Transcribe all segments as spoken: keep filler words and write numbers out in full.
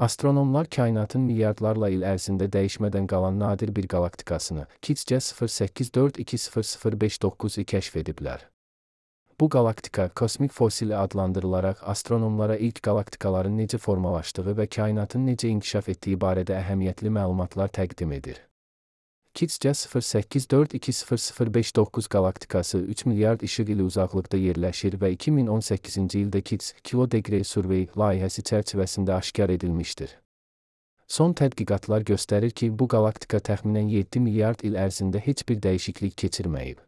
Astronomlar kainatın milyardlarla il ərzində dəyişmədən qalan nadir bir qalaktikasını KICS sıfır səkkiz dörd iki sıfır sıfır beş doqquz-u kəşf ediblər. Bu qalaktika kosmik fosili adlandırılaraq astronomlara ilk qalaktikaların necə formalaşdığı və kainatın necə inkişaf etdiyi barədə əhəmiyyətli məlumatlar təqdim edir. KICS sıfır səkkiz dörd iki sıfır sıfır beş doqquz qalaktikası üç milyard işıq ili uzaqlıqda yerləşir və iki min on səkkizinci ildə KICS Kilodegree Survey layihəsi çərçivəsində aşkar edilmişdir. Son tədqiqatlar göstərir ki, bu qalaktika təxminən yeddi milyard il ərzində heç bir dəyişiklik keçirməyib.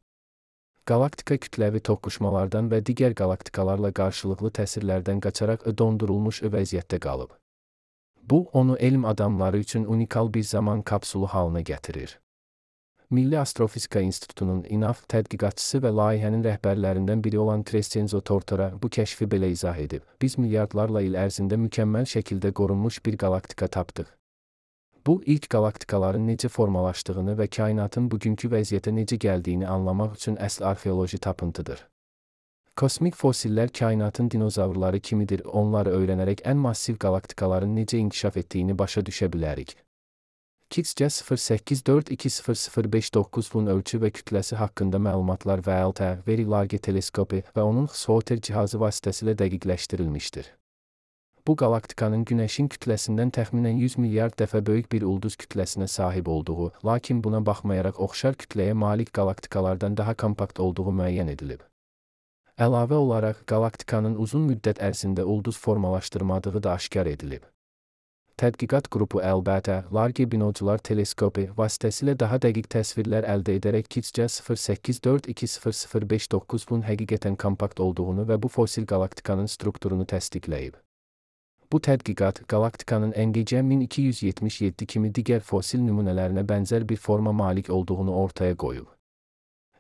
Qalaktika kütləvi toqquşmalardan və digər qalaktikalarla qarşılıqlı təsirlərdən qaçaraq dondurulmuş vəziyyətdə qalıb. Bu, onu elm adamları üçün unikal bir zaman kapsulu halına gətirir. Milli Astrofizika İnstitutunun I N A F tədqiqatçısı və layihənin rəhbərlərindən biri olan Crescenzo Tortora bu kəşfi belə izah edib. Biz milyardlarla il ərzində mükəmməl şəkildə qorunmuş bir qalaktika tapdıq. Bu, ilk qalaktikaların necə formalaşdığını və kainatın bugünkü vəziyyətə necə gəldiyini anlamaq üçün əsl arxeoloji tapıntıdır. Kosmik fosillər kainatın dinozavrları kimidir, onları öyrənərək ən massiv qalaktikaların necə inkişaf etdiyini başa düşə bilərik. KICS sıfır səkkiz dörd iki sıfır sıfır beş doqquz-un ölçü və kütləsi haqqında məlumatlar V L T Very Large teleskopu və onun X-Hoter cihazı vasitəsilə dəqiqləşdirilmişdir. Bu qalaktikanın Günəşin kütləsindən təxminən yüz milyard dəfə böyük bir ulduz kütləsinə sahib olduğu, lakin buna baxmayaraq oxşar kütləyə malik qalaktikalardan daha kompakt olduğu müəyyən edilib. Əlavə olaraq, qalaktikanın uzun müddət ərzində ulduz formalaşdırmadığı da aşkar edilib. Tədqiqat qrupu əlbəttə, Large Binocular teleskopu vasitəsilə daha dəqiq təsvirlər əldə edərək KICS sıfır səkkiz dörd iki sıfır sıfır beş doqquz-un həqiqətən kompakt olduğunu və bu fosil qalaktikanın strukturunu təsdiqləyib. Bu tədqiqat, qalaktikanın N G C min iki yüz yetmiş yeddi kimi digər fosil nümunələrinə bənzər bir forma malik olduğunu ortaya qoyub.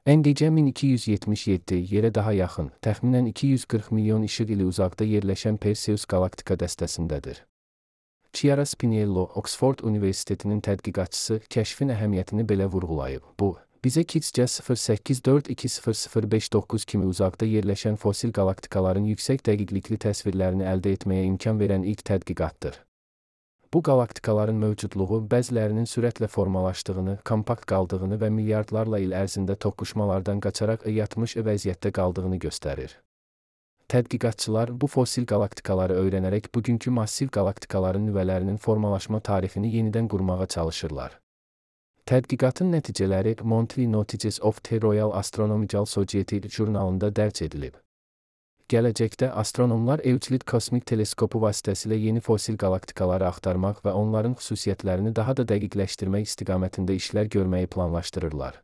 N G C min iki yüz yetmiş yeddi yerə daha yaxın, təxminən iki yüz qırx milyon işıq ili uzaqda yerləşən Perseus qalaktika dəstəsindədir. Chiara Spinello, Oxford Universitetinin tədqiqatçısı, kəşfin əhəmiyyətini belə vurğulayıb. Bu, bizə KICS sıfır səkkiz dörd iki sıfır sıfır beş doqquz kimi uzaqda yerləşən fosil qalaktikaların yüksək dəqiqlikli təsvirlərini əldə etməyə imkan verən ilk tədqiqatdır. Bu qalaktikaların mövcudluğu bəzilərinin sürətlə formalaşdığını, kompakt qaldığını və milyardlarla il ərzində toqquşmalardan qaçaraq yatmış vəziyyətdə qaldığını göstərir. Tədqiqatçılar bu fosil qalaktikaları öyrənərək bugünkü massiv qalaktikaların nüvələrinin formalaşma tarixini yenidən qurmağa çalışırlar. Tədqiqatın nəticələri Monthly Notices of the Royal Astronomical Society jurnalında dərc edilib. Gələcəkdə astronomlar Euclid kosmik teleskopu vasitəsilə yeni fosil qalaktikaları axtarmaq və onların xüsusiyyətlərini daha da dəqiqləşdirmək istiqamətində işlər görməyi planlaşdırırlar.